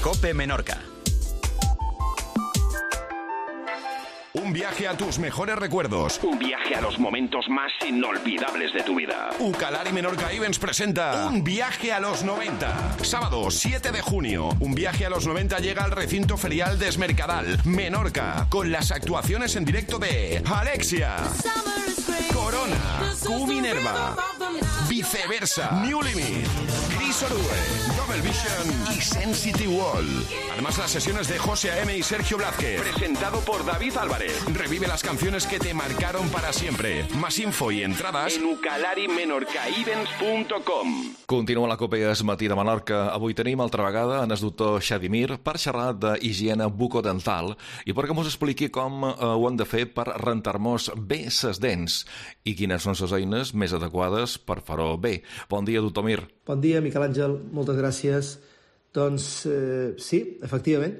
COPE Menorca. Un viaje a tus mejores recuerdos. Un viaje a los momentos más inolvidables de tu vida. Ucalari Menorca Events presenta Un viaje a los 90. Sábado 7 de junio. Un viaje a los 90 llega al recinto ferial de Esmercadal, Menorca, con las actuaciones en directo de Alexia, Corona, Q Minerva, Viceversa, New Limit, Chris Orue, Double Vision y Sensitive Wall. Además, las sesiones de José A.M. y Sergio Blázquez. Presentado por David Álvarez. Revive las canciones que te marcaron para siempre. Más info i entrades en ucalarimenorcaevents.com. Continua la COPE Es Matí de Menorca. Avui tenim altra vegada en el doctor Xadimir per xerrar d'higiene bucodental i perquè mos expliqui com ho hem de fer per rentar-nos bé ses dents i quines són les eines més adequades per fer-ho bé. Bon dia, doctor Mir. Bon dia, Miquel Àngel. Moltes gràcies. Doncs sí, efectivament.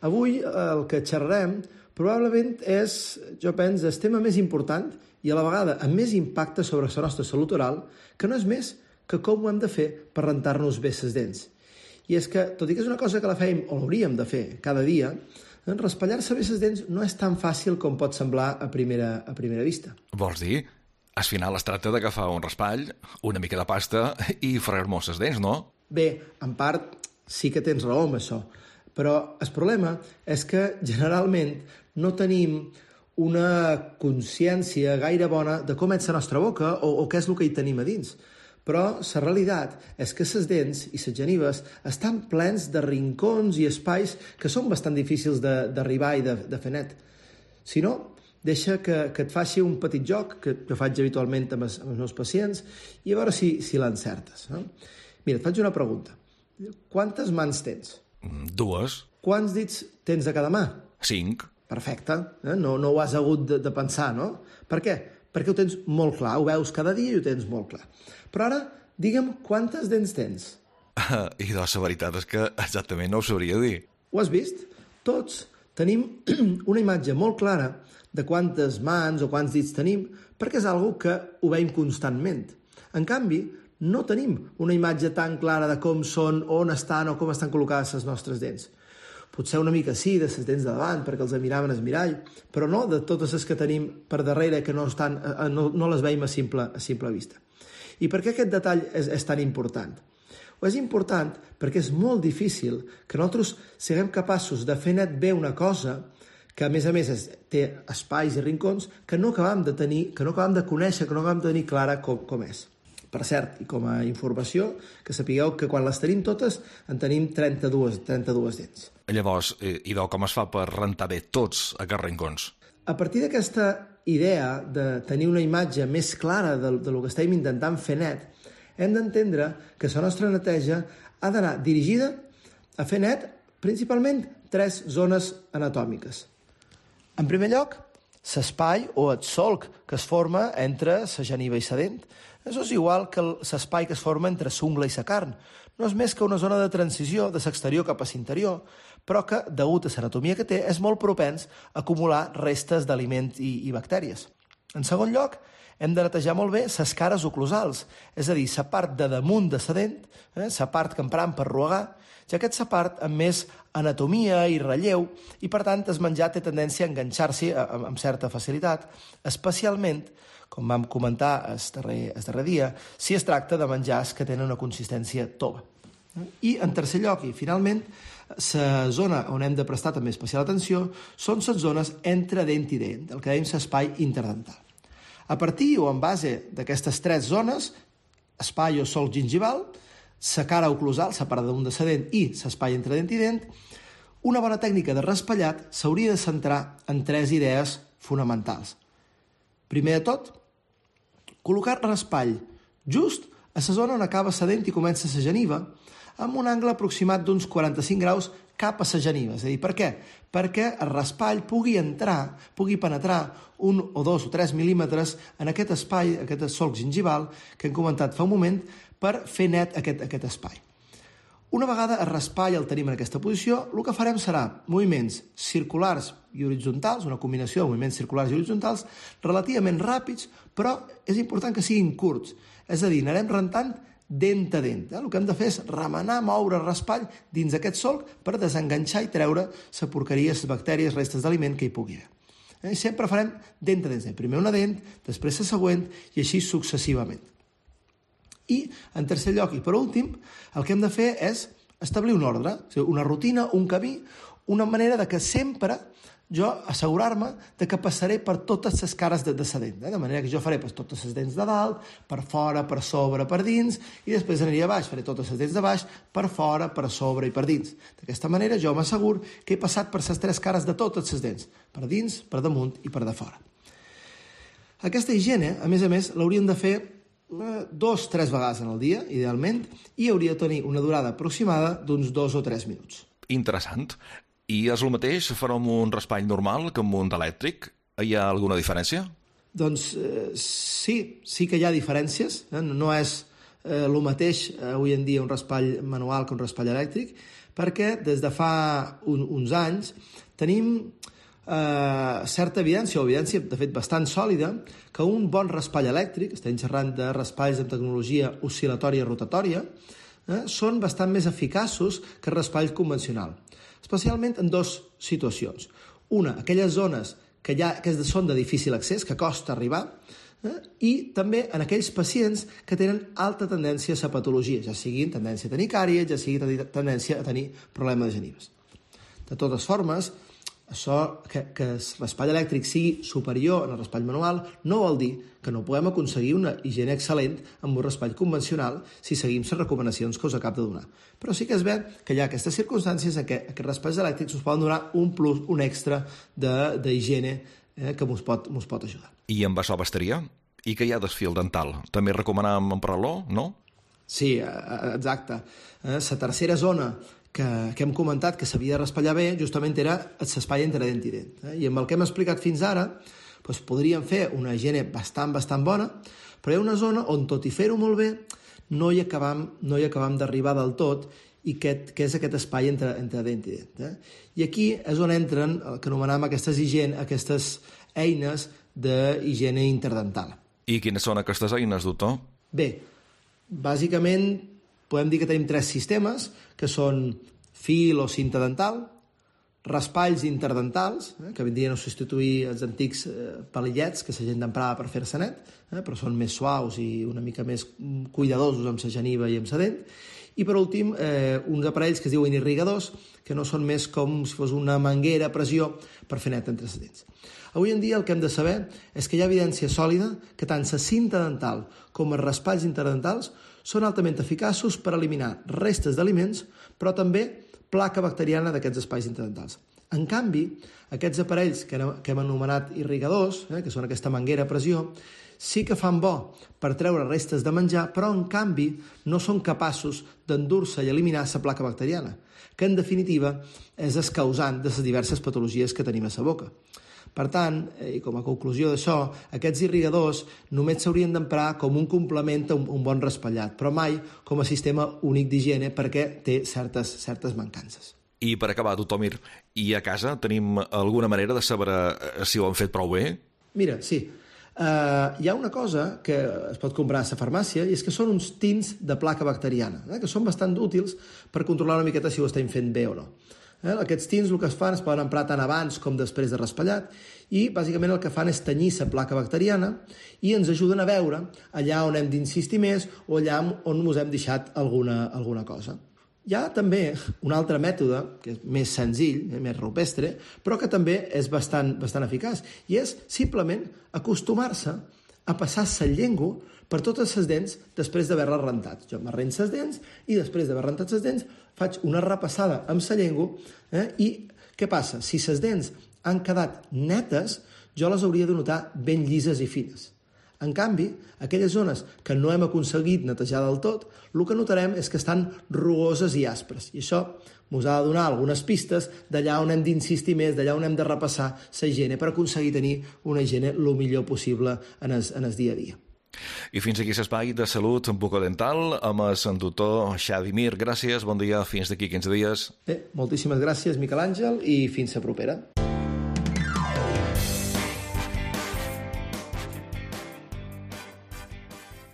Avui el que xerrarem probablement és, jo penso, el tema més important i a la vegada amb més impacte sobre la nostra salut oral, que no és més que com ho hem de fer per rentar-nos bé les dents. I és que, tot i que és una cosa que la fèiem o l'hauríem de fer cada dia, raspallar-se bé les dents no és tan fàcil com pot semblar a primera vista. Vols dir? Al final es tracta d'agafar un raspall, una mica de pasta i fregar-nos les dents, no? Bé, en part sí que tens raó amb això, però el problema és que generalment no tenim una consciència gaire bona de com és la nostra boca o què és el que hi tenim a dins. Però la realitat és que les dents i les genives estan plens de rincons i espais que són bastant difícils d'arribar i de fer net. Si no, deixa que et faci un petit joc que jo faig habitualment amb els meus pacients i a veure si l'encertes. Mira, et faig una pregunta. Quantes mans tens? 2. Quants dits tens de cada mà? 5. Perfecte. No ho has hagut de pensar, no? Per què? Perquè ho tens molt clar. Ho veus cada dia i ho tens molt clar. Però ara, digue'm quantes dents tens? I la veritat és que exactament no ho sabria dir. Ho has vist? Tots tenim una imatge molt clara de quantes mans o quants dits tenim perquè és una que ho veiem constantment. En canvi, no tenim una imatge tan clara de com són, on estan o com estan col·locades les nostres dents. Potser una mica sí, de les dents de davant, perquè els miraven al mirall, però no de totes les que tenim per darrere que no les veiem a simple vista. I per què aquest detall és tan important? És important perquè és molt difícil que nosaltres siguem capaços de fer net bé una cosa que a més té espais i rincons que no acabem de tenir, que no acabem de conèixer, que no acabem de tenir clara com és. Per cert, i com a informació, que sapigueu que quan les tenim totes en tenim 32 dents. Llavors, idò, com es fa per rentar bé tots aquests rincons? A partir d'aquesta idea de tenir una imatge més clara del que estem intentant fer net, hem d'entendre que la nostra neteja ha d'anar dirigida a fer net principalment 3 zones anatòmiques. En primer lloc, l'espai o el solc que es forma entre la geniva i la dent. Això és igual que l'espai que es forma entre l'ungla i la carn. No és més que una zona de transició de l'exterior cap a l'interior, però que, degut a l'anatomia que té, és molt propens a acumular restes d'aliments i bactèries. En segon lloc, hem de netejar molt bé les cares oclusals, és a dir, la part de damunt de la dent, la part que empram per ruegar, ja que és la part amb més anatomia i relleu i, per tant, el menjar té tendència a enganxar-s'hi amb certa facilitat, especialment, com vam comentar el darrer dia, si es tracta de menjars que tenen una consistència tova. I, en tercer lloc, i finalment, la zona on hem de prestar també especial atenció són les zones entre dent i dent, el que dèiem l'espai interdental. A partir o en base d'aquestes 3 zones, espai o solc gingival, la cara oclusal, la part damunt de la dent i l'espai entre dent i dent, una bona tècnica de raspallat s'hauria de centrar en 3 idees fonamentals. Primer de tot, col·locar raspall just a la zona on acaba la dent i comença la geniva, amb un angle aproximat d'uns 45 graus cap a la geniva. És a dir, per què? Perquè el raspall pugui penetrar 1 o 2 o 3 mil·límetres en aquest espai, aquest solc gingival que hem comentat fa un moment, per fer net aquest espai. Una vegada el raspall el tenim en aquesta posició, el que farem serà moviments circulars i horitzontals, una combinació de moviments circulars i horitzontals relativament ràpids, però és important que siguin curts. És a dir, anarem rentant dent a dent. El que hem de fer és remenar, moure el raspall dins aquest solc per desenganxar i treure la porqueria, les bactèries, restes d'aliment que hi pugui haver. I sempre farem dent a dent. Primer una dent, després la següent i així successivament. I, en tercer lloc i per últim, el que hem de fer és establir un ordre, una rutina, un camí, una manera de que sempre jo assegurar-me de que passaré per totes les cares de la dent. De manera que jo faré totes les dents de dalt, per fora, per sobre, per dins, i després aniré a baix, faré totes les dents de baix, per fora, per sobre i per dins. D'aquesta manera jo m'assegur que he passat per les tres cares de totes les dents, per dins, per damunt i per de fora. Aquesta higiene, a més, l'hauríem de fer 2-3 vegades en el dia, idealment, i hauria de tenir una durada aproximada d'uns 2 o 3 minuts. Interessant. I és el mateix fer amb un raspall normal que amb un d'elèctric? Hi ha alguna diferència? Doncs sí que hi ha diferències. No és el mateix avui en dia un raspall manual que un raspall elèctric, perquè des de fa uns anys tenim certa evidència, o evidència de fet bastant sòlida, que un bon raspall elèctric, estem xerrant de raspalls amb tecnologia oscil·latòria rotatòria, són bastant més eficaços que el raspall convencional, especialment en dues situacions. Una, aquelles zones que són de difícil accés, que costa arribar, i també en aquells pacients que tenen alta tendència a la patologia, ja sigui tendència a tenir càries, ja sigui tendència a tenir problemes de genives. De totes formes, això que el raspall elèctric sigui superior al raspall manual no vol dir que no podem aconseguir una higiene excel·lent amb un raspall convencional si seguim les recomanacions que us acabo de donar. Però sí que es ve que hi ha aquestes circumstàncies en què aquests raspalls elèctrics us poden donar un plus, un extra d'higiene que ens pot ajudar. I amb això bastaria? I que hi ha d'esfil dental? També recomanem emprar-lo, no? Sí, exacte. La tercera zona que hem comentat que s'havia de raspallar bé justament era l'espai entre dent i dent. I amb el que hem explicat fins ara podríem fer una higiene bastant bona, però hi ha una zona on, tot i fer-ho molt bé, no hi acabam d'arribar del tot, i que és aquest espai entre dent i dent. I aquí és on entren el que anomenem aquestes eines d'higiene interdental. I quines són aquestes eines, doctor? Bé, bàsicament podem dir que tenim 3 sistemes, que són fil o cinta dental, raspalls interdentals, que vindrien a substituir els antics palillets que la gent emprava per fer-se net, però són més suaus i una mica més cuidadosos amb la geniva i amb la dent, i per últim uns aparells que es diuen irrigadors, que no són més com si fos una manguera a pressió per fer net entre les dents. Avui en dia el que hem de saber és que hi ha evidència sòlida que tant la cinta dental com els raspalls interdentals són altament eficaços per eliminar restes d'aliments, però també placa bacteriana d'aquests espais interdentals. En canvi, aquests aparells que hem anomenat irrigadors, que són aquesta manguera a pressió, sí que fan bo per treure restes de menjar, però en canvi no són capaços d'endur-se i eliminar la placa bacteriana, que en definitiva és el causant de les diverses patologies que tenim a la boca. Per tant, i com a conclusió d'això, aquests irrigadors només s'haurien d'emprar com un complement a un bon raspallat, però mai com a sistema únic d'higiene perquè té certes mancances. I per acabar, doctor Mir, i a casa tenim alguna manera de saber si ho han fet prou bé? Mira, sí. Hi ha una cosa que es pot comprar a la farmàcia i és que són uns tins de placa bacteriana, que són bastant útils per controlar una miqueta si ho estem fent bé o no. Aquests tins el que es fan es poden emprar tant abans com després de raspallat i bàsicament el que fan és tenyir la placa bacteriana i ens ajuden a veure allà on hem d'insistir més o allà on ens hem deixat alguna cosa. Hi ha també un altre mètode, que és més senzill, més rupestre, però que també és bastant eficaç, i és simplement acostumar-se a passar la llengua per totes les dents després d'haver-les rentat. Jo m'arrenco les dents i després d'haver rentat les dents faig una repassada amb la llengua i què passa? Si les dents han quedat netes, jo les hauria de notar ben llises i fines. En canvi, aquelles zones que no hem aconseguit netejar del tot, el que notarem és que estan rugoses i aspres. I això ens ha de donar algunes pistes d'allà on hem d'insistir més, d'allà on hem de repassar la higiene per aconseguir tenir una higiene el millor possible en el dia a dia. I fins aquí l'espai de salut bucodental amb el doctor Xavi Mir. Gràcies, bon dia, fins d'aquí 15 dies. Moltíssimes gràcies, Miquel Àngel, i fins la propera.